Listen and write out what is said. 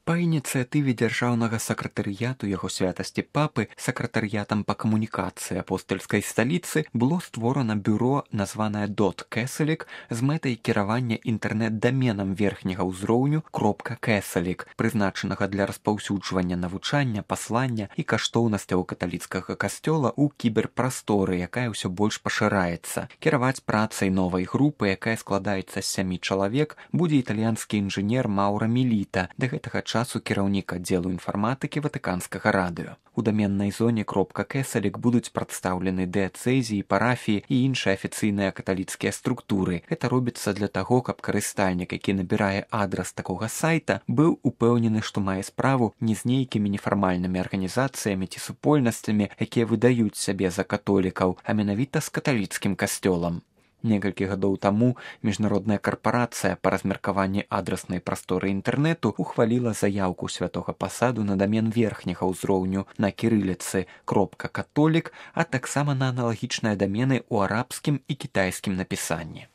Па ініцыятыве дзяржаўнага сакратарыяту яго святасці папы сакратарыятам па камунікацыі апостальскай сталіцы было створана бюро, названае .Кэсалік, з мэтай кіравання інтэрнэт-даменам верхняга ўзроўню .Кэсалік, прызначанага для распаўсюджвання навучання, паслання і каштоўнасцяў каталіцкага касцёла ў кіберпрасторы, якая ўсё больш пашыраецца. Кіраваць працай новай групы, якая складаецца з 7 чалавек, будзе італьянскі інжынер Маўра Міліта, да гэтага часу кіраўнік аддзелу інфарматыкі ватыканскага радыё. У даменнай зоне .Кэсалік будуць прадстаўлены дыяцэзіі, парафіі і іншыя афіцыйныя каталіцкія структуры. Гэта робіцца для таго, каб карыстальнік, які набірае адрас такога сайта, быў упэўнены, што мае справу не з нейкімі нефармальнымі арганізацыямі ці супольнасцямі, якія выдаюць сябе за католікаў, а менавіта з каталіцкім касцёлам. Некалькі гадоў таму міжнародная карпарацыя па размеркаванні адраснай прасторы інтэрнэту ухваліла заяўку святога пасаду на дамен верхняга ўзроўню на кірыліцы .католік, а таксама на аналагічныя дамены ў арабскім і кітайскім напісанні.